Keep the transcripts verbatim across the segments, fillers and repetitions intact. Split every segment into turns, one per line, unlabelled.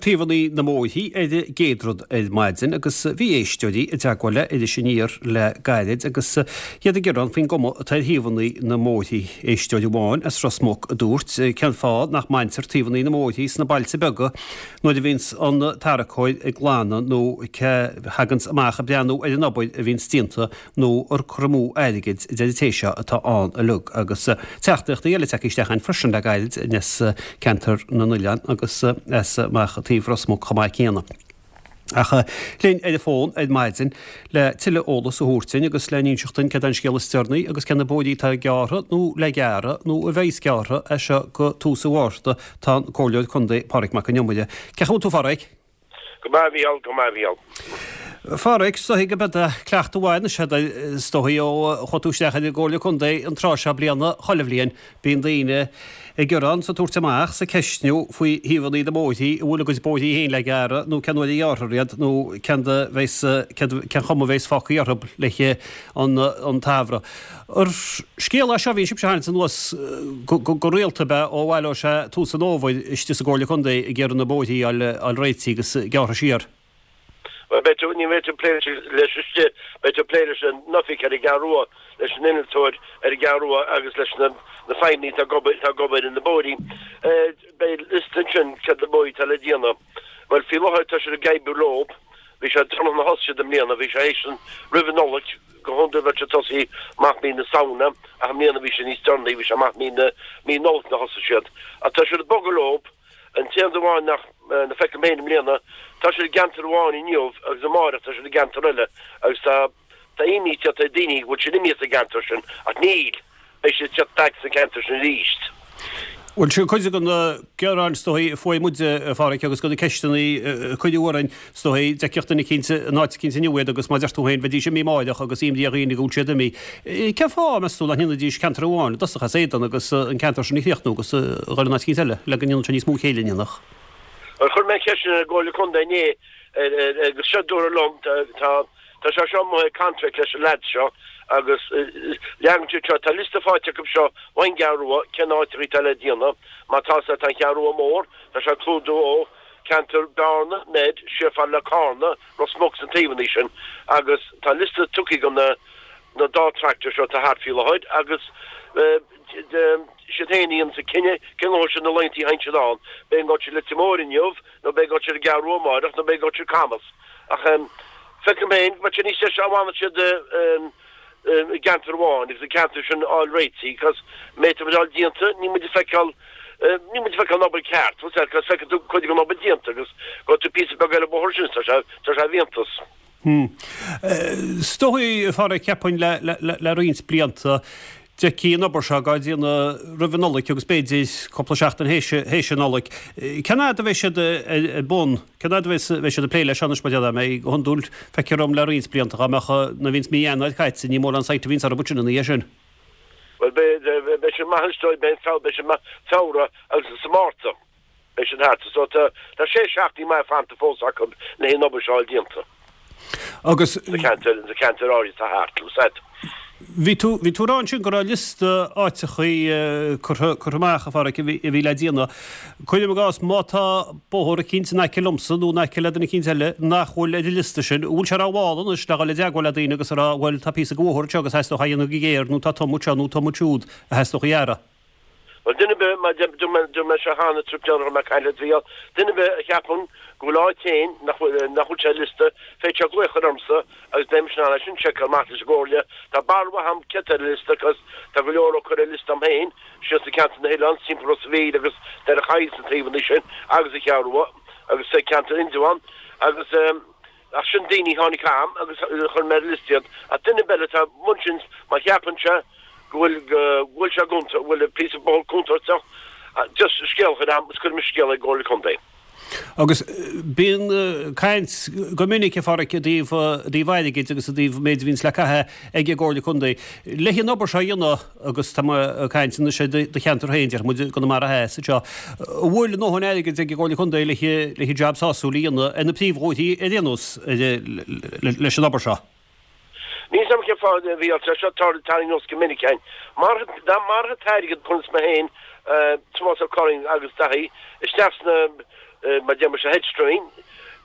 Taobhanna na mbóithrí ar an gcéad rud ar maidin agus bhí éisteoirí i dteagmháil le Iris Aniar le gairid agus iad ag gearán faoin gcuma atá ar thaobhanna na mbóithrí. Éisteoir amháin as Ros Muc a dúirt cén fáth nach mbaintear taobhanna na mbóithrí sna bailte beaga nuair a bhíonns an tarracóir ag glanadh nó cé thaganns amach ag breathnú ar an obair a bhíonns déanta nó ar cur amú airgid a deir an té seo atá ann uilig agus teachtaireachtaí eile tagtha isteach againn freisin le gairid as ceantar na n-oileán agus as amach taobh Ros Muc chomh maith céanna. Ach linn ar an bhfón ar maidin le tuilleadh eolas a thabhairt dúinn agus le n-inseacht dúinn céard é an scéal is deireanaí agus cé na bóithrí atá gearrtha nó le gearradh nó a bheas gearrtha as seo go tús an Mhárta tá an Comhairleoir Contae Pádraig Mac Con Iomaire. Cén chaoi a bhfuil tú a Phádraig?
Go maith a Mhícheáil, go maith a Mhícheáil.
A Phádraig, is dóigh go mbeidh cleachtadh mhaith anois agat is dóigh ó chuaigh tú isteach ar an gComhairle Contae an tráth seo bliana chuile bhliain. Bíonn daoine ag gearán 's ag tabhairt amach 's ag ceistniú faoi thaobhanna na mbóithrí, an bhfuil a gcuid bóithrí féin le gearradh nó cén uair a ghearrfar iad nó cén da bheas cén chuma a bheas fágtha orthu le an an tsamhradh. Ar scéal é seo a bhíonn sibhse a tharraingt anuas go go rialta ab ea ó bhaileoidh sé tús an fhómhair istigh sa gComhairle Contae ag iarraidh na bóithrí a fháil réitithe agus gearrtha siar.
Bhuel, beidh tú, ní bheidh tú ag plé leis istigh, beidh tú ag plé leis an oifig ar an gCeathrú Rua, leis an innealtóir ar an gCeathrú Rua agus leis na na feidhmeannaigh atá ag obair, atá ag obair ar na bóithrí. Beidh liosta ansin céard na bóithrí atá le déanamh. Bhuel, faoi láthair tá siad ag oibriú leo. Bhí sé deireanach nuair a thosaigh siad i mbliana, bhí sé théis an, roimh an Nollaig, go hiondúil bheadh siad tosaithe amach mí na Samhna ach i mbliana bhí sé níos deireanaí, bhí sé amach mí na, mí Nollag nuair a thosaigh siad. Ach tá siad ag bogadh leo. An t-aon rud amháin nach nach feicim féin i mbliana, tá siad i gceantar amháin inniu agus amárach tá siad i gceantar eile agus tá tá imní teacht ar daoine go bhfuil siad imithe as an gceantar sin ach níl, beidh siad ag teacht back sa cheantar sin arís.
Bhuel, sin cuid de na gearáin is dóigh a fuair muid, a Pháraic, agus de na ceisteanna a cuireadh orainn, is dóigh, d'fheicfeadh duine eicínt in áit eicínt inniu iad agus mar a deir tú féin, bheidís imithe amáireach agus imní ar dhaoine go bhfuil siad imithe. Cén fáth, meas tú, nach ndéanfaidís ceantar amháin i dtosach as éadan agus an ceantar sin a chríochnú agus a dhul in áit eicínt eile le go ndéanfadh sé níos mó céille, an ndéanfadh?
Bhuel, chuir mé an cheist sin ar an gComhairle Contae inné agus seo a dúradh liom, tá tá sé seo amuigh ar contract leis an leads seo agus leagann siad seo, tá liosta faighte acu seo ón gCeathrú Rua cén áiteacha atá le déanamh, má tá sé, tá an Cheathrú Rua mór, tá sé ag clúdú ó ceantar Bearna, Neid, siar fad le Carna, Ros Muc sna taobhanna sin agus tá liosta tugtha ag na na dá tractor seo atá thart faoi láthair agus siad féin a dhéananns an cinneadh cén uair sin na laethanta a théann siad ann. B'fhéidir go bhfuil siad Leitir Móir inniu nó b'fhéidir go bhfuil siad i gCeathrú Rua amáireach nó b'fhéidir go bhfuil siad Camas. Ach feicim féin go mbeadh sé níos deise dá bhfanfadh siad i gceantar amháin agus an ceantar sin a fháil réitithe cos má tá muid fháil déanta níl muid ag feiceáil níl muid ag feiceáil an obair ceart cos feiceann tú cuid den obair déanta agus go tú píosa beag eile bóthar sin tá sé tá sé iontach.
Is dóigh, a Pháraic, cheapfainn le roinnt blianta, d'fheicfí an obair seo á déanamh roimh an Nollaig agus b'fhéidir cúpla seachtain théis an Nollaig. Cén fhad a bheidh siad ar bun? Cén fhad a bheidh siad ag plé leis seo anois mar a déarfá? Go hiondúil, feictear dom le roinnt blianta, dá mbeadh nuair a bhíonns mí Eanáir caite, ní mórán site a bhíonns orthu ansin ina dhiaidh sin.
Bhuel, beidh siad maith anois, beidh siad maith Feabhra agus sa Márta. Beidh siad thart. So tá tá sé seachtainí maith fanta fós acu le an obair seo a fháil déanta.
Agus.
Sa cheantar, sa cheantar áirithe atá thart, you said.
Bhí tú, bhí tú ag rá ansin go raibh liosta áiteachaí curtha, curtha amach, a Pháraic, a bhí, a bhí le déanamh. Cuirim i gcás, má tá bóthar eicínt in aice liomsa nó in aice le duine eicínt eile nach bhfuil ar an liosta sin, an bhfuil sé rómhall anois le dhul i dteagmháil le daoine agus a rá, bhuel, tá píosa de bhóthar anseo agus theastódh é a dhéanamh go géar nó tá tum anseo nó tum ansiúd a theastódh a ghearradh?
Bhuel, duine ar bith, mar dúirt mé seo cheana, trip déanach a raibh mé ag caint leat, a Mhícheáil, duine ar bith a cheapann go bhfuil áit féin nach bhfuil, nach bhfuil sé ar liosta, féadfaidh sé glaoch a chur ormsa agus beidh mise in ann é sin a sheiceáil amach leis an gComhairle. Tá barúil mhaith agam céard tá ar an liosta agus tá go leor á cur ar liosta agam féin, síos sna ceantair na hOileáin, timpeall Ros a' Mhíl agus Doire Choill sna taobhanna sin agus an Cheathrú Rua agus sa ceantar Indreabhán agus. Ach sin daoine a tháinig chugam agus chuir mé ar an liosta iad. Ach duine ar bith eile atá amuigh ansin, má cheapann sé go bhfuil, go bhfuil sé go bhfuil píosa bóthair contúirteach, just scéal a chur agam agus cuirfidh mise scéal ag an gComhairle Contae.
Agus bíonn caint go minic, a Pháraic, i dtaobh, i dtaobh airgid agus i dtaobh méid a bhíonns le caitheamh ag an gComhairle Contae. Le an obair seo a dhéanamh, agus tá mé ag caint anois ar do cheantar féin, déarfaidh muid i gConamara Theas anseo, an bhfuil a ndóthain airgid ag an gComhairle Contae le le jab sásúil a dhéanamh ar na príomhbhóithrí ar aon nós leis an obair seo?
Níl 's agam cén fáth a bhí sé seo tarraingthe anuas go minic againn. Mar dá mbeadh an t-airgead, conas mé féin, Tomás Ó Curraoin agus Daithí, isteach sna Mar deir mise hedge trimming,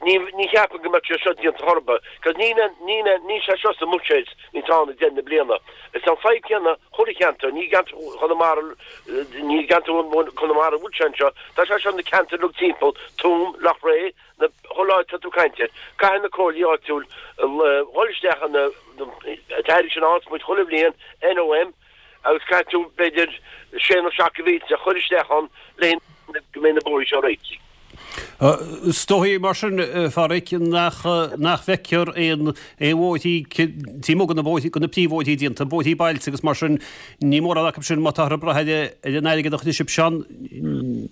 ní ní cheapaim go mbeadh sé seo déanta chor ar bith, cos ní ní ní sé seo sa mbuiséad ní tá na deireadh na bliana. Is an fadhb céanna chuile cheantar, ní gceantar Chonamara ní gceantar Chonamara bhfuil sé anseo, tá sé seo na ceantair uilig timpeall, Tuaim, Loughrea, na chuile áit tá tú caint air. Caithfidh na comhairlí áitiúil dhul isteach an t-airgead sin a fhaigheanns muid chuile bhliain, NOM, agus caithfidh tú b'fhéidir sé nó seacht de mhílte a chur isteach ann le go mbeidh na bóithrí seo réitithe.
Is dóigh mar sin, a Pháraic, nach nach bhfeictear aon aon bhóithrí taobh amuigh de na bóithrí de na príomhbhóithrí déanta, bóithrí bailte agus mar sin, ní mórán acu sin má táthar ag brath ar ar an airgead a chuirfidh sibhsean,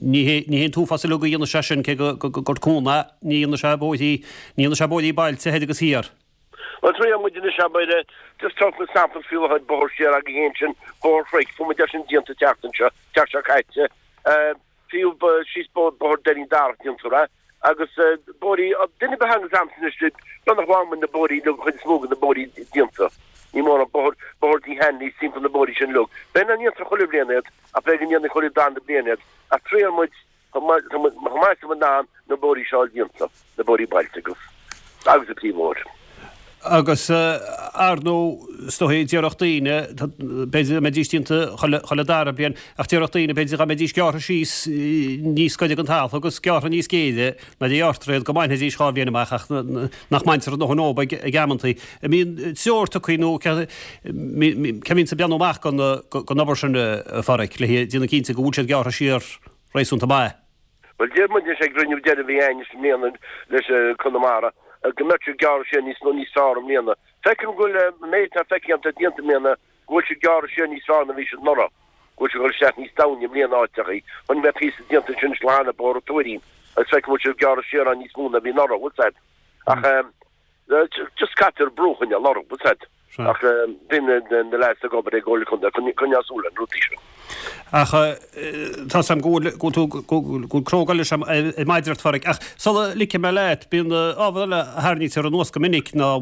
ní hé ní hé an t-uafás uilig a dhéanfaidh sé sin cé go gur cúnamh é, ní dhéanfaidh sé bóithrí ní dhéanfaidh sé bóithrí bailte thoir agus thiar.
Bhuel, triail muid anois abair, just tógfaidh muid sampla faoi láthair, bóthar siar againn féin sin, Bóthar Chnoic, fuair muid é sin déanta an tseachtain seo, tseachtain seo caite. Fiú síos Bóthar Doirín Darach déantar é agus bóithrí, duine ar bith a thaganns agamsa anois, beagnach faigheann muid na bóithrí uilig, an chuid is mó de na bóithrí déanta. Ní mórán, bóthar, Bóthar Tigh Hanley timpeall na bóithrí sin uilig. B'fhéidir nach ndéantar chuile bhliain iad ach b'fhéidir go ndéanfaí chuile darna bliain iad ach triail muid chomh maith, chomh maith is atá muid in ann na bóithrí seo a fháil déanta, na bóithrí bailte agus, agus an príomhbhóthar.
Agus ar ndóigh, is dóigh, déarfadh daoine, b'fhéidir dá mbeidís déanta chuile, chuile dara bliain, ach déarfadh daoine, b'fhéidir dá mbeidís gearrtha síos níos gaire don talamh agus gearrtha níos géire nuair a ghearrtar iad go mbainfidís dhá bhliain amach ach nach mbaintear a ndóthain dhóibh ag, ag amantaí. An mbíonn treoir tugtha nó cé a bhíonns ag breathnú amach don, don obair sin, a Pháraic, le déanamh cinnte go bhfuil siad gearrtha siar réasúnta maith?
Bhuel, deir muid anois ag cruinniú deiridh a bhí againn i mbliana leis Conamara go mbeadh siad gearrtha siar níos mó níos fearr i mbliana. Feicim go bhfuil an méid atá feicthe agam déanta i mbliana go bhfuil siad gearrtha siar níos fearr ná bhí siad anuraidh, go bhfuil siad ag dul isteach níos domhaine i mbliana áiteachaí. Chonaic mé píosa déanta ansin is lá cheana Bóthar an Tuairín agus feicim go bhfuil siad gearrtha siar ann níos mó ná bhí anuraidh, bhfuil 's a'd. Ach just caitear brú a choinneáil orthu, bhfuil 's a'd. Ach bíonn na leaids ag obair ag Comhairle Contae, coinneáil súil ar na rudaí seo.
Ach tá 's a'm go bhfuil go bhfuil tú go bhfuil cró ag dul ar maidin ort, a Pháraic. Ach sula ligfidh mé leat, bíonn ábhar eile a tharraingítear anuas go minic ná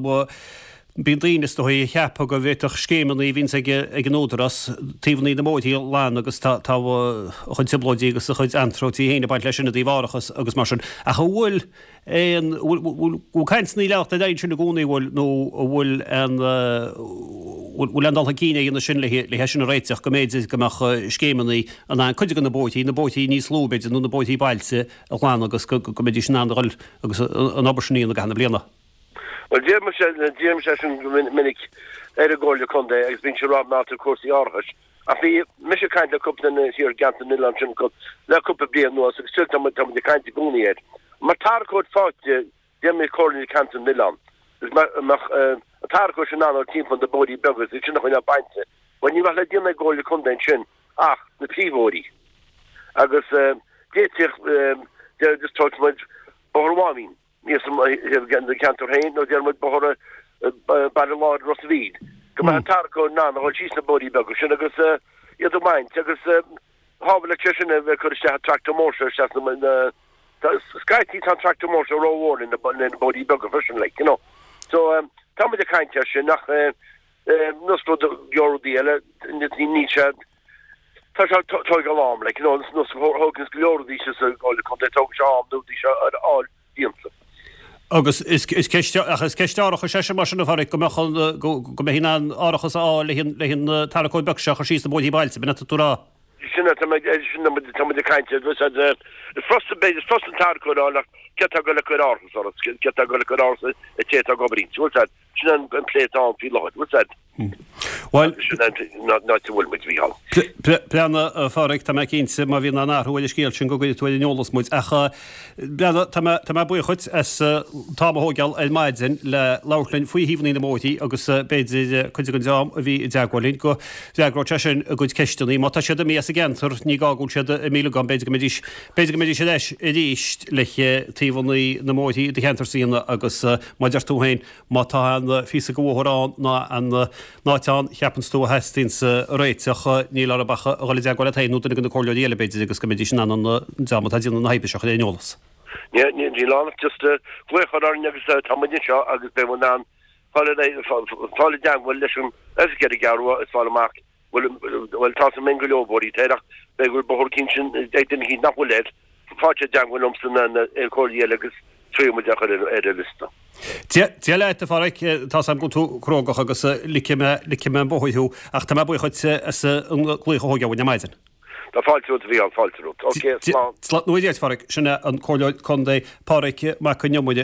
bíonn daoine is dóigh a cheapadh go bhféadfadh scéimeanna a bhíonns ag ag an Údarás taobhanna na mbóithrí a ghlanadh agus tá tá a chuid trioblóidí agus a chuid anróití féin ag baint leis sin i dtaobh árachas agus mar sin. Ach an bhfuil aon, bhfuil cainteanna ag leanacht ar aghaidh ansin i gcónaí, an bhfuil, nó an bhfuil aon, bhfuil aon dul chun cinn á dhéanamh sin le é sin a réiteach, go mb'fhéidir go mbeadh scéimeanna in ann cuid de na bóithrí, na bóithrí níos lú b'fhéidir, nó na bóithrí bailte a ghlanadh agus go mbeidís in ann a dhul agus an obair sin a dhéanamh i gcaitheamh na bliana.
Bhuel, deirimse, deirimse sin go minic ar an gComhairle Contae agus bíonn sé ag rá ná tá cúrsaí árachais. Ach bhí mise ag caint le cúpla duine thiar i gceantar na n-oileán sin le cúpla bliain anuas agus still tá muid ag caint i gcónaí air. Mar tarracóir faighte, déarfaidh Comhairle Ceantar na nOileán, agus mar a mbeadh an tarracóir sin in ann dul timpeall na bóithrí beaga agus iad sin a choinneáil bainte, bhuel ní bheadh le déanamh ag an gComhairle Contae ansin ach na príomhbhóithrí. Agus d'fhéadfadh, deir just tógfaidh muid Bóthar Mháimín thíos sa gceantar féin nó déarfaidh muid Bóthar Baile Láir Ros a' Mhíl, go mbeadh an tarracóir in ann a dhul síos na bóithrí beaga sin agus iad a bhaint agus shábháilfeadh sé sin a bheith ag cur isteach an tractor mór seo isteach sna Scaití tá an tractor mór seo rómhór le na bóithrí beaga freisin like, you know. So tá muid ag caint air sin ach nós rud go leor rudaí eile níl sé tá sé tógáil am like, you know, nós thógann go leor rudaí sa gComhairle Contae tógann sé am na rudaí seo a fháil déanta.
Agus is is ceist ach is ceist árachais é sin mar sin a Pháraic go mbeadh an go go mbeidh in ann árachas a fháil le an le an tarracóir beag seo a chur síos na bóithrí bailte, b'in atá tú a rá?
Sin é, tá muid sin tá muid ag caint air, is fusa b'fhéidir is fusa an tarracóir a fháil ach cé atá ag dul ag cur árachas ort, cé atá ag dul ag cur árachas ar té atá ag obair inti, bhfuil 's a'd, sin an an plé atá ann faoi láthair, bhfuil 's a'd.
Bhuel,
Sin an áit a bhfuil muid, a Mhícheál.
Breathnaigh, a Pháraic, tá mé cinnte má bhíonn aon athrú ar an scéal sin go gcuirfidh tú ar an eolas muid. Ach, breathnaigh, tá mé, tá mé buíoch dhuit as an t-am a thógáil ar maidin le labhairt linn faoi thaobhanna na mbóithrí agus b'fhéidir cuid den dream a bhí i dteagmháil linn go bhfreagróidh sé sin a gcuid ceisteanna. Má tá siad imithe as an gceantar, ní gá go bhfuil siad imithe agam, b'fhéidir go mbeidís, b'fhéidir go mbeidís ar ais arís le taobhanna na mbóithrí i do cheantarsa a dhéanamh agus mar a deir tú féin, má tá aon phíosa de bhóthar ann ná aon áit ann cheapanns tú a theastaíonns réiteach, níl orthu ach a dhul i dteagmháil leat féin nó duine de na comhairleoirí eile b'fhéidir agus go mbeidís in ann an dream atá ag déanamh na hoibre seo a chur ar an eolas.
Níl ann ach just glaoch a chur orainn agus tá muid anseo agus beidh muid in ann fáil fáil i dteagmháil leis an oifig ar an gCeathrú Rua is fáil amach bhfuil bhuel tá a fhios againn go leor bóithrí air ach b'fhéidir go bhfuil bóthar eicínt ag duine eicínt nach bhfuil air Fáilte i dteagmháil liomsa nó le aon chomhairleoir eile agus triailfidh muid é a chur ar an liosta.
Dia leat, a Pháraic, tá 's a'm go bhfuil tú crógach agus ligfidh mé, ligfidh mé an bóthar thú, ach tá mé buíoch dhuit as an glaoch a thógáil uainn ar maidin.
Tá fáilte romhat, a Mhícheáil, fáilte romhat. Ok, slán.
Slán, a Pháraic, sin é an Comhairleoir Contae Páraic Mac Con Iomaire.